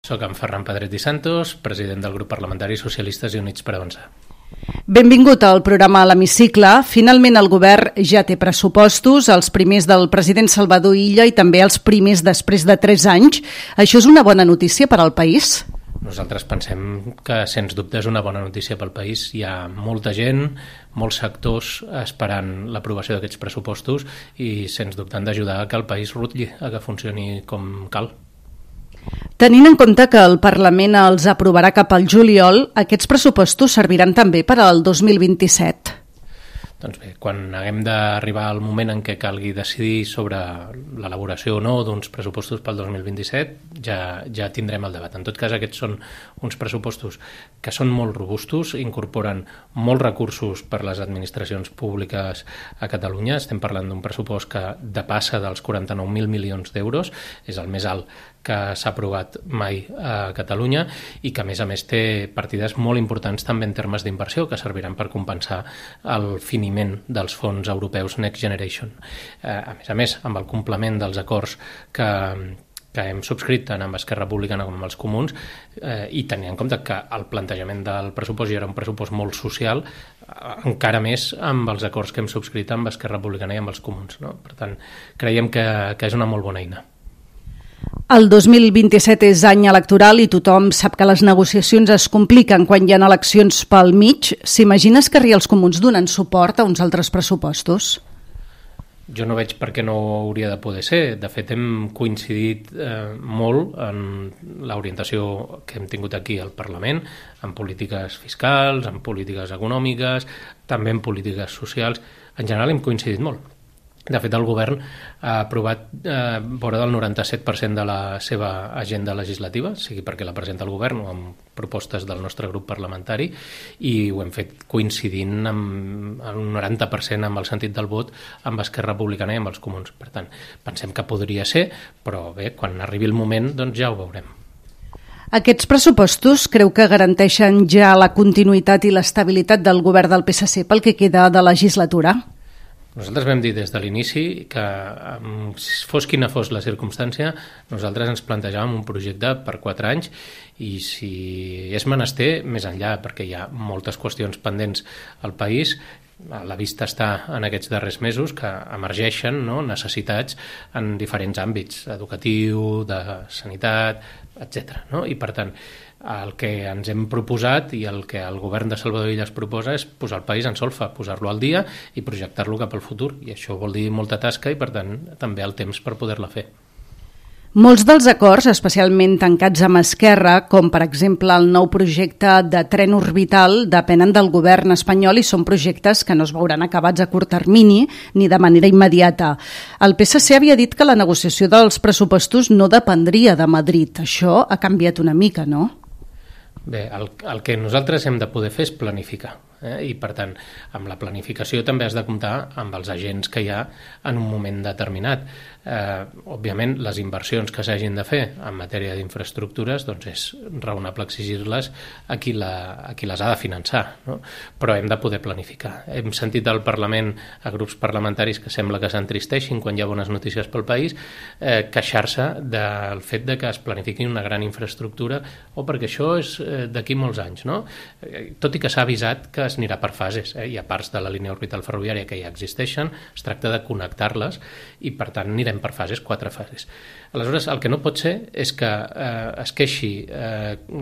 Soc en Ferran Pedret i Santos, president del grup parlamentari Socialistes i Units per Avançar. Benvingut al programa a l'Hemicicle. Finalment el govern ja té pressupostos, els primers del president Salvador Illa i també els primers després de 3 anys. Això és una bona notícia per al país? Nosaltres pensem que, sens dubte, és una bona notícia pel país. Hi ha molta gent, molts sectors esperant l'aprovació d'aquests pressupostos i, sens dubte, han d'ajudar a que el país rutlli, a que funcioni com cal. Tenint en compte que el Parlament els aprovarà cap al juliol, aquests pressupostos serviran també per al 2027. Doncs bé, quan haguem d'arribar al moment en què calgui decidir sobre l'elaboració o no d'uns pressupostos pel 2027, ja tindrem el debat. En tot cas, aquests són uns pressupostos que són molt robustos, incorporen molts recursos per les administracions públiques a Catalunya. Estem parlant d'un pressupost que depassa dels 49.000 milions d'euros, és el més alt que s'ha aprovat mai a Catalunya i que, a més, té partides molt importants també en termes d'inversió que serviran per compensar el finiment dels fons europeus Next Generation. A més, amb el complement dels acords que hem subscrit tant amb Esquerra Republicana com amb els Comuns i tenint en compte que el plantejament del pressupost ja era un pressupost molt social, encara més amb els acords que hem subscrit amb Esquerra Republicana i amb els Comuns, no? Per tant, creiem que és una molt bona eina. El 2027 és any electoral i tothom sap que les negociacions es compliquen quan hi ha eleccions pel mig. S'imagina Esquerra i els Comuns donant suport a uns altres pressupostos? Jo no veig per què no hauria de poder ser. De fet, hem coincidit molt en l'orientació que hem tingut aquí al Parlament, en polítiques fiscals, en polítiques econòmiques, també en polítiques socials. En general hem coincidit molt. De fet, el govern ha aprovat vora del 97% de la seva agenda legislativa, sigui perquè la presenta el govern o amb propostes del nostre grup parlamentari, i ho hem fet coincidint amb un 90% amb el sentit del vot amb Esquerra Republicana i amb els Comuns. Per tant, pensem que podria ser, però bé, quan arribi el moment, doncs ja ho veurem. Aquests pressupostos creu que garanteixen ja la continuïtat i l'estabilitat del govern del PSC pel que queda de legislatura? Nosaltres vam dir des de l'inici que, fos quina fos la circumstància, nosaltres ens plantejàvem un projecte per 4 anys i, si és menester, més enllà, perquè hi ha moltes qüestions pendents al país. A la vista està en aquests darrers mesos que emergeixen, no, necessitats en diferents àmbits, educatiu, de sanitat, etc. No? I, per tant, el que ens hem proposat i el que el govern de Salvador Illa es proposa és posar el país en solfa, posar-lo al dia i projectar-lo cap al futur. I això vol dir molta tasca i, per tant, també el temps per poder-la fer. Molts dels acords, especialment tancats amb Esquerra, com per exemple el nou projecte de tren orbital, depenen del govern espanyol i són projectes que no es veuran acabats a curt termini ni de manera immediata. El PSC havia dit que la negociació dels pressupostos no dependria de Madrid. Això ha canviat una mica, no? Bé, el que nosaltres hem de poder fer és planificar. I, per tant, amb la planificació també has de comptar amb els agents que hi ha en un moment determinat. Òbviament, les inversions que s'hagin de fer en matèria d'infraestructures, doncs és raonable exigir-les a qui les ha de finançar, no? Però hem de poder planificar. Hem sentit al Parlament a grups parlamentaris que sembla que s'entristeixin quan hi ha bones notícies pel país, queixar-se del fet de que es planifiqui una gran infraestructura o perquè això és d'aquí molts anys, no? Tot i que s'ha avisat que es anirà per fases. Hi ha parts de la línia orbital ferroviària que ja existeixen, es tracta de connectar-les i, per tant, anirem per fases, 4 fases. Aleshores, el que no pot ser és que es queixi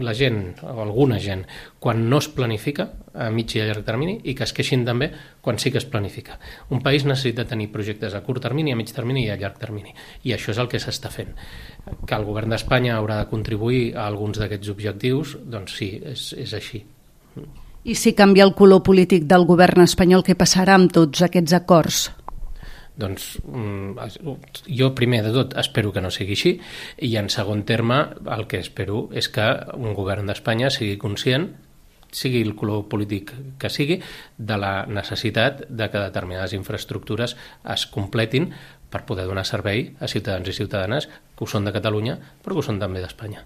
la gent o alguna gent quan no es planifica a mig i a llarg termini i que es queixin també quan sí que es planifica. Un país necessita tenir projectes a curt termini, a mig termini i a llarg termini, i això és el que s'està fent. Que el govern d'Espanya haurà de contribuir a alguns d'aquests objectius, doncs sí, és així. I si canvia el color polític del govern espanyol, què passarà amb tots aquests acords? Doncs jo primer de tot espero que no sigui així i en segon terme el que espero és que un govern d'Espanya sigui conscient, sigui el color polític que sigui, de la necessitat de que determinades infraestructures es completin per poder donar servei a ciutadans i ciutadanes que ho són de Catalunya però que ho són també d'Espanya.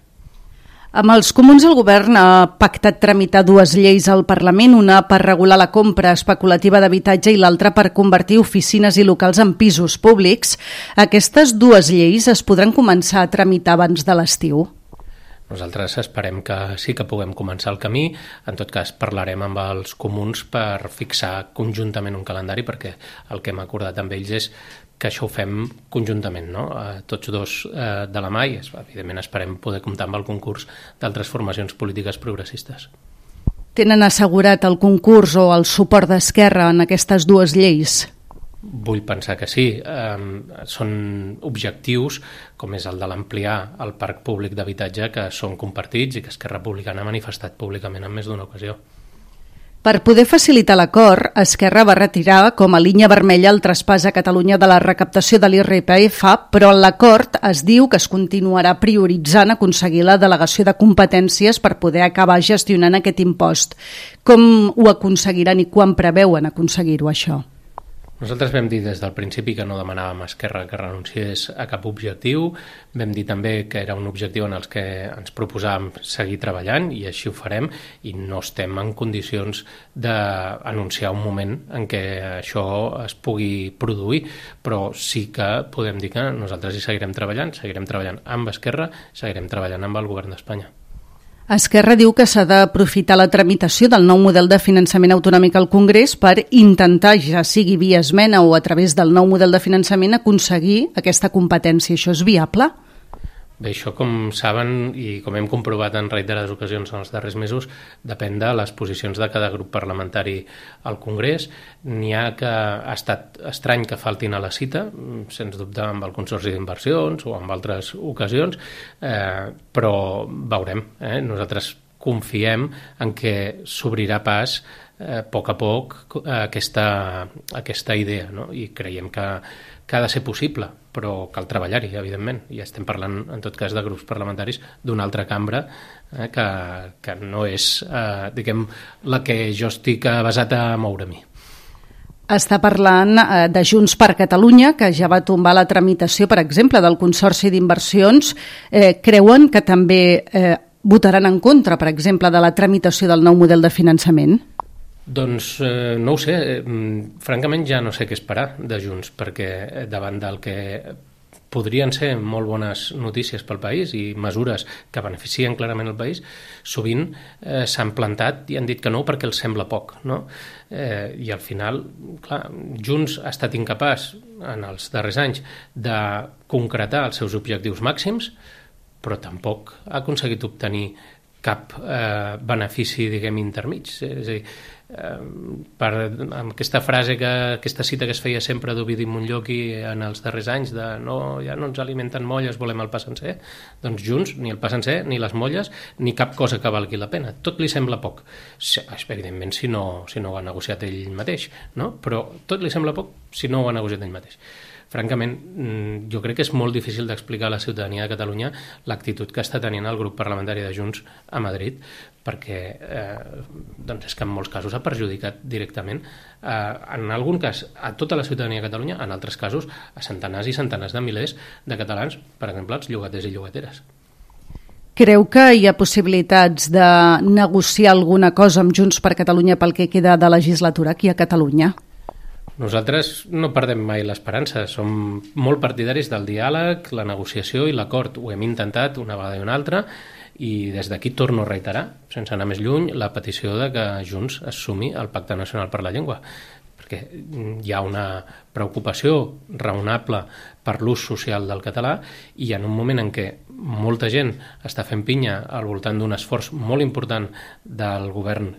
Amb els Comuns el govern ha pactat tramitar 2 lleis al Parlament, una per regular la compra especulativa d'habitatge i l'altra per convertir oficines i locals en pisos públics. Aquestes 2 lleis es podran començar a tramitar abans de l'estiu? Nosaltres esperem que sí que puguem començar el camí. En tot cas, parlarem amb els comuns per fixar conjuntament un calendari, perquè el que hem acordat amb ells és que això ho fem conjuntament, no? Tots dos de la mà, i evidentment esperem poder comptar amb el concurs d'altres formacions polítiques progressistes. Tenen assegurat el concurs o el suport d'Esquerra en aquestes dues lleis? Vull pensar que sí. Són objectius, com és el de l'ampliar el parc públic d'habitatge, que són compartits i que Esquerra Republicana ha manifestat públicament en més d'una ocasió. Per poder facilitar l'acord, Esquerra va retirar com a línia vermella el traspàs a Catalunya de la recaptació de l'IRPF, però en l'acord es diu que es continuarà prioritzant aconseguir la delegació de competències per poder acabar gestionant aquest impost. Com ho aconseguiran i quan preveuen aconseguir-ho, això? Nosaltres vam dir des del principi que no demanàvem a Esquerra que renunciés a cap objectiu, vam dir també que era un objectiu en els que ens proposàvem seguir treballant, i així ho farem, i no estem en condicions d'anunciar un moment en què això es pugui produir, però sí que podem dir que nosaltres hi seguirem treballant amb Esquerra, seguirem treballant amb el govern d'Espanya. Esquerra diu que s'ha d'aprofitar la tramitació del nou model de finançament autonòmic al Congrés per intentar, ja sigui via esmena o a través del nou model de finançament, aconseguir aquesta competència. Això és viable? Bé, això, com saben i com hem comprovat en reiterades ocasions en els darrers mesos, depèn de les posicions de cada grup parlamentari al Congrés. N'hi ha que ha estat estrany que faltin a la cita, sens dubte amb el Consorci d'Inversions o en altres ocasions, però veurem. Nosaltres confiem en què s'obrirà pas a poc aquesta idea, no? I creiem que ha de ser possible, però cal treballar-hi, evidentment, i estem parlant, en tot cas, de grups parlamentaris d'una altra cambra que no és, diguem, la que jo estic basat a moure-m'hi. Està parlant de Junts per Catalunya, que ja va tombar la tramitació, per exemple, del Consorci d'Inversions. Creuen que també votaran en contra, per exemple, de la tramitació del nou model de finançament? Doncs no ho sé, francament ja no sé què esperar de Junts, perquè davant del que podrien ser molt bones notícies pel país i mesures que beneficien clarament el país, sovint s'han plantat i han dit que no perquè els sembla poc, no? I al final, clar, Junts ha estat incapaç en els darrers anys de concretar els seus objectius màxims, però tampoc ha aconseguit obtenir cap benefici, diguem, intermig. És a dir, amb aquesta frase, aquesta cita que es feia sempre d'Ovidi Montllòqui en els darrers anys de ja no ens alimenten molles, volem el pa sencer, doncs Junts, ni el pa sencer, ni les molles, ni cap cosa que valgui la pena. Tot li sembla poc. Evidentment, si no ho ha negociat ell mateix, no? Però tot li sembla poc si no ho ha negociat ell mateix. Francament, jo crec que és molt difícil d'explicar a la ciutadania de Catalunya l'actitud que està tenint el grup parlamentari de Junts a Madrid, perquè és que en molts casos ha perjudicat directament, en algun cas, a tota la ciutadania de Catalunya, en altres casos, a centenars i centenars de milers de catalans, per exemple, els llogaters i llogateres. Creu que hi ha possibilitats de negociar alguna cosa amb Junts per Catalunya pel que queda de legislatura aquí a Catalunya? Nosaltres no perdem mai l'esperança, som molt partidaris del diàleg, la negociació i l'acord. Ho hem intentat una vegada i una altra, i des d'aquí torno a reiterar, sense anar més lluny, la petició de que Junts es sumi al Pacte Nacional per la Llengua, perquè hi ha una preocupació raonable per l'ús social del català, i en un moment en què molta gent està fent pinya al voltant d'un esforç molt important del govern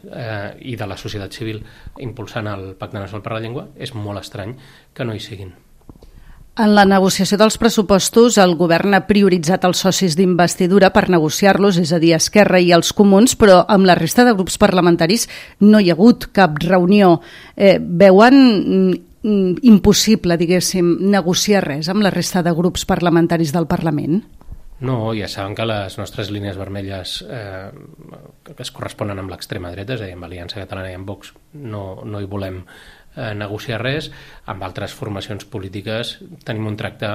i de la societat civil impulsant el Pacte Nacional per la Llengua, és molt estrany que no hi siguin. En la negociació dels pressupostos, el govern ha prioritzat els socis d'investidura per negociar-los, és a dir, Esquerra i els Comuns, però amb la resta de grups parlamentaris no hi ha hagut cap reunió. Veuen impossible, diguéssim, negociar res amb la resta de grups parlamentaris del Parlament? No, ja saben que les nostres línies vermelles que es corresponen amb l'extrema dreta, és a dir, amb Aliança Catalana i amb Vox, no hi volem negociar res. Amb altres formacions polítiques tenim un tracte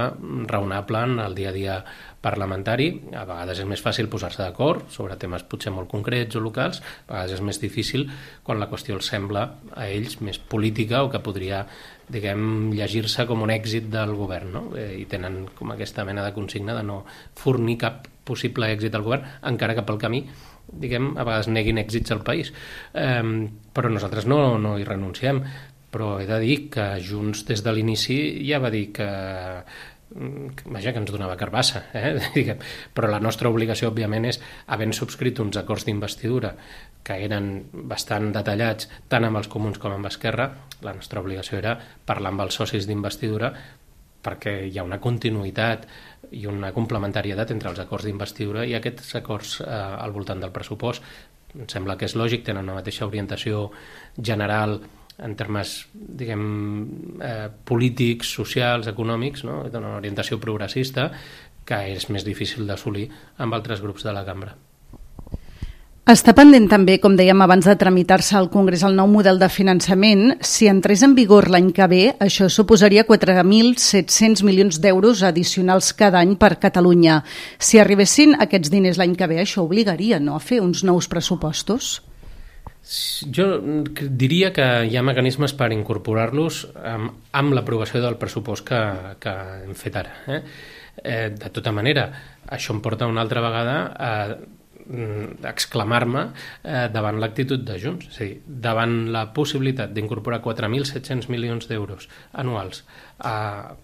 raonable en el dia a dia parlamentari. A vegades és més fàcil posar-se d'acord sobre temes potser molt concrets o locals, a vegades és més difícil quan la qüestió els sembla a ells més política o que podria, diguem, llegir-se com un èxit del govern, no? I tenen com aquesta mena de consigna de no fornir cap possible èxit al govern, encara que pel camí, diguem, a vegades neguin èxits al país. Però nosaltres no hi renunciem. Però he de dir que Junts des de l'inici ja va dir que ens donava carbassa, diguem. Però la nostra obligació, òbviament, és, havent subscrit uns acords d'investidura que eren bastant detallats tant amb els comuns com amb Esquerra, la nostra obligació era parlar amb els socis d'investidura perquè hi ha una continuïtat i una complementarietat entre els acords d'investidura i aquests acords al voltant del pressupost. Em sembla que és lògic, tenen una mateixa orientació general en termes, diguem, polítics, socials, econòmics, no? Una orientació progressista que és més difícil d'assolir amb altres grups de la cambra. Està pendent també, com dèiem abans de tramitar-se al Congrés, el nou model de finançament. Si entrés en vigor l'any que ve, això suposaria 4.700 milions d'euros addicionals cada any per Catalunya. Si arribessin aquests diners l'any que ve, això obligaria, no?, a fer uns nous pressupostos? Jo diria que hi ha mecanismes per incorporar-los amb l'aprovació del pressupost que hem fet ara. De tota manera, això em porta una altra vegada a exclamar-me davant l'actitud de Junts, és a dir, davant la possibilitat d'incorporar 4.700 milions d'euros anuals a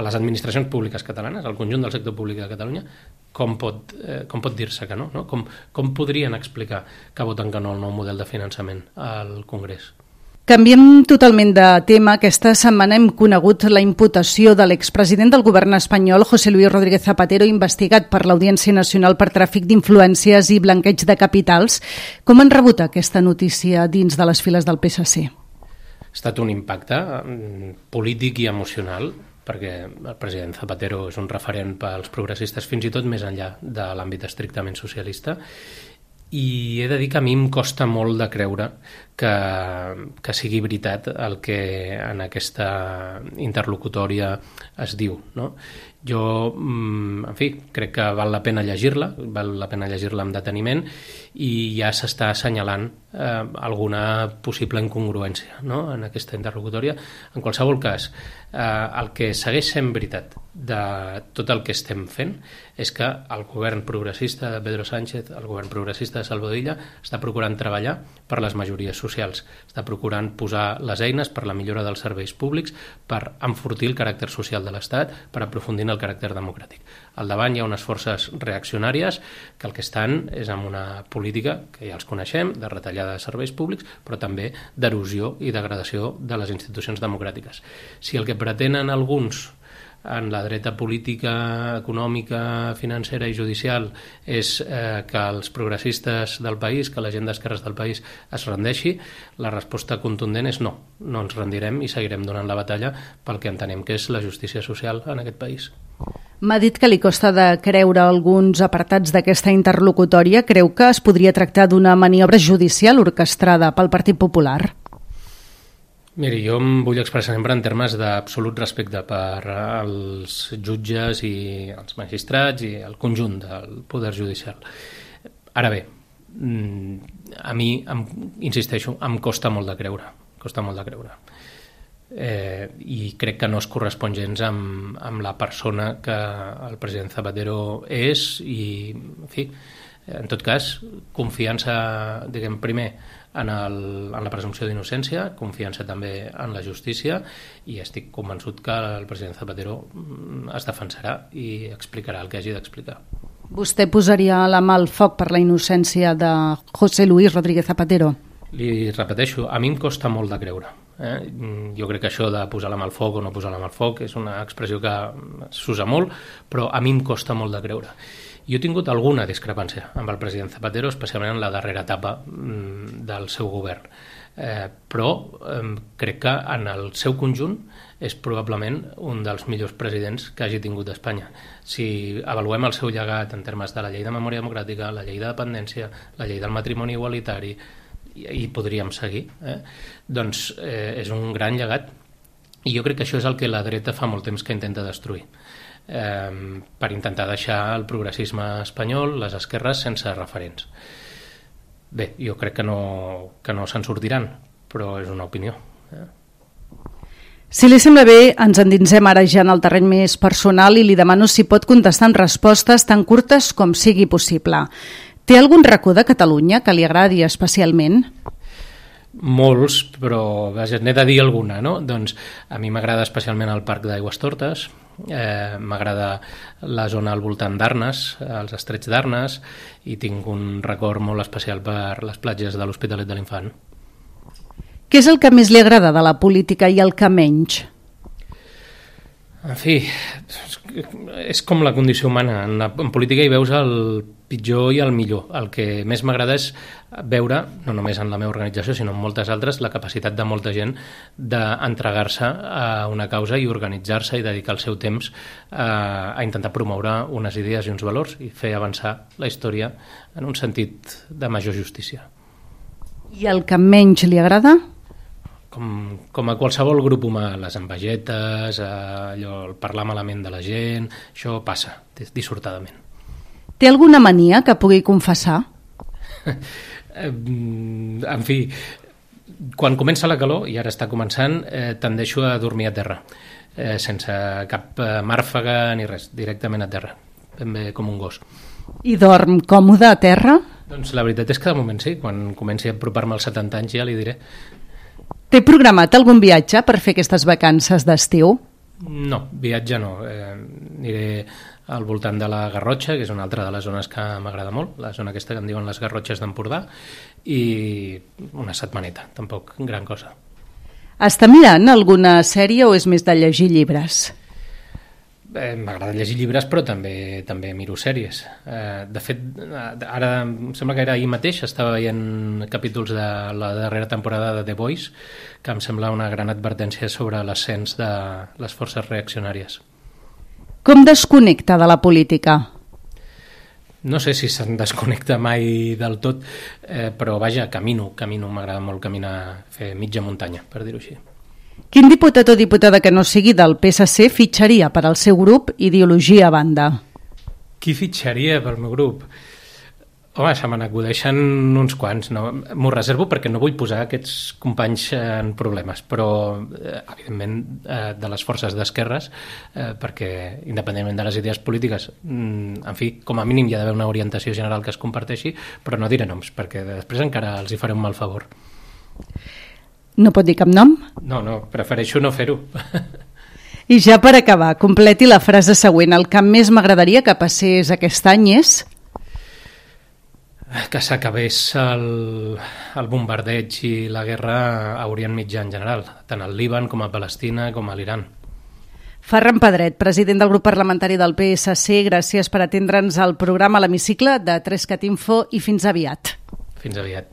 les administracions públiques catalanes, al conjunt del sector públic de Catalunya, com pot dir-se que no? Com podrien explicar que voten que no al nou model de finançament al Congrés? Canviem totalment de tema. Aquesta setmana hem conegut la imputació de l'expresident del govern espanyol, José Luis Rodríguez Zapatero, investigat per l'Audiència Nacional per tràfic d'influències i blanqueig de capitals. Com han rebut aquesta notícia dins de les files del PSC? Ha estat un impacte polític i emocional, perquè el president Zapatero és un referent pels progressistes, fins i tot més enllà de l'àmbit estrictament socialista, i he de dir que a mi em costa molt de creure que sigui veritat el que en aquesta interlocutòria es diu, no? Jo, en fi, crec que val la pena llegir-la amb deteniment, i ja s'està assenyalant alguna possible incongruència, no?, en aquesta interlocutòria. En qualsevol cas, el que segueix sent veritat de tot el que estem fent és que el govern progressista de Pedro Sánchez, el govern progressista de Salvador Illa, està procurant treballar per les majories socials, està procurant posar les eines per la millora dels serveis públics, per enfortir el caràcter social de l'Estat, per aprofundir en el caràcter democràtic. Al davant hi ha unes forces reaccionàries que el que estan és amb una política que ja els coneixem, de retallada de serveis públics, però també d'erosió i degradació de les institucions democràtiques. Si el que pretenen alguns en la dreta política, econòmica, financera i judicial és que els progressistes del país, que la gent d'esquerres del país es rendeixi, la resposta contundent és no ens rendirem i seguirem donant la batalla pel que entenem que és la justícia social en aquest país. M'ha dit que li costa de creure alguns apartats d'aquesta interlocutòria. Creu que es podria tractar d'una maniobra judicial orquestrada pel Partit Popular? Miri, jo em vull expressar sempre en termes d'absolut respecte per als jutges i els magistrats i el conjunt del poder judicial. Ara bé, a mi, insisteixo, em costa molt de creure. I crec que no es correspon gens amb la persona que el president Zapatero és i, en fi, en tot cas, confiança, diguem, primer en la presumpció d'innocència, confiança també en la justícia, i estic convençut que el president Zapatero es defensarà i explicarà el que hagi d'explicar. Vostè posaria la mà al foc per la innocència de José Luis Rodríguez Zapatero? Li repeteixo, a mi em costa molt de creure. Jo crec que això de posar la mà al foc o no posar la mà al foc és una expressió que s'usa molt, però a mi em costa molt de creure. Jo he tingut alguna discrepància amb el president Zapatero, especialment en la darrera etapa del seu govern, però crec que en el seu conjunt és probablement un dels millors presidents que hagi tingut Espanya. Si avaluem el seu llegat en termes de la llei de memòria democràtica, la llei de dependència, la llei del matrimoni igualitari, i podríem seguir, doncs és un gran llegat, i jo crec que això és el que la dreta fa molt temps que intenta destruir, per intentar deixar el progressisme espanyol, les esquerres, sense referents. Bé, jo crec que no se'n sortiran, però és una opinió. Si li sembla bé, ens endinsem ara ja en el terreny més personal i li demano si pot contestar en respostes tan curtes com sigui possible. Té algun racó de Catalunya que li agradi especialment? Molts, però vaja, n'he de dir alguna, no? Doncs a mi m'agrada especialment el Parc d'Aigüestortes, m'agrada la zona al voltant d'Arnes, els Estrets d'Arnes, i tinc un record molt especial per les platges de l'Hospitalet de l'Infant. Què és el que més li agrada de la política i el que menys? En fi, és com la condició humana. En política hi veus el pitjor i el millor. El que més m'agrada és veure, no només en la meva organització, sinó en moltes altres, la capacitat de molta gent d'entregar-se a una causa i organitzar-se i dedicar el seu temps a intentar promoure unes idees i uns valors i fer avançar la història en un sentit de major justícia. I el que menys li agrada? Com a qualsevol grup humà, les envegetes, allò, el parlar malament de la gent, això passa dissortadament. Té alguna mania que pugui confessar? En fi, quan comença la calor, i ara està començant, tendeixo a dormir a terra, sense cap màrfaga ni res, directament a terra, ben bé com un gos. I dorm còmode a terra? Doncs la veritat és que de moment sí, quan comenci a apropar-me als 70 anys ja li diré. Té programat algun viatge per fer aquestes vacances d'estiu? No, viatge no. Aniré al voltant de la Garrotxa, que és una altra de les zones que m'agrada molt, la zona aquesta que en diuen les Garrotxes d'Empordà, i una setmaneta, tampoc gran cosa. Està mirant alguna sèrie o és més de llegir llibres? M'agrada llegir llibres, però també miro sèries. De fet, ara em sembla que era ahir mateix, estava veient capítols de la darrera temporada de The Boys, que em sembla una gran advertència sobre l'ascens de les forces reaccionàries. Com desconnecta de la política? No sé si se'n desconnecta mai del tot, però vaja, camino, m'agrada molt caminar, fer mitja muntanya, per dir-ho així. Quin diputat o diputada que no sigui del PSC fitxaria per al seu grup, ideologia a banda? Qui fitxaria pel meu grup? Home, se me n'acudeixen uns quants. No? M'ho reservo perquè no vull posar aquests companys en problemes, però evidentment de les forces d'esquerres, perquè independentment de les idees polítiques, en fi, com a mínim hi ha d'haver una orientació general que es comparteixi, però no diré noms, perquè després encara els hi faré un mal favor. No pot dir cap nom? No, prefereixo no fer-ho. I ja per acabar, completi la frase següent. El que més m'agradaria que passés aquest any és... Que s'acabés el bombardeig i la guerra a Orient Mitjà en general, tant al Líban com a Palestina com a l'Iran. Ferran Pedret, president del grup parlamentari del PSC, gràcies per atendre'ns al programa a l'Hemicicle de 3CAT Info i fins aviat. Fins aviat.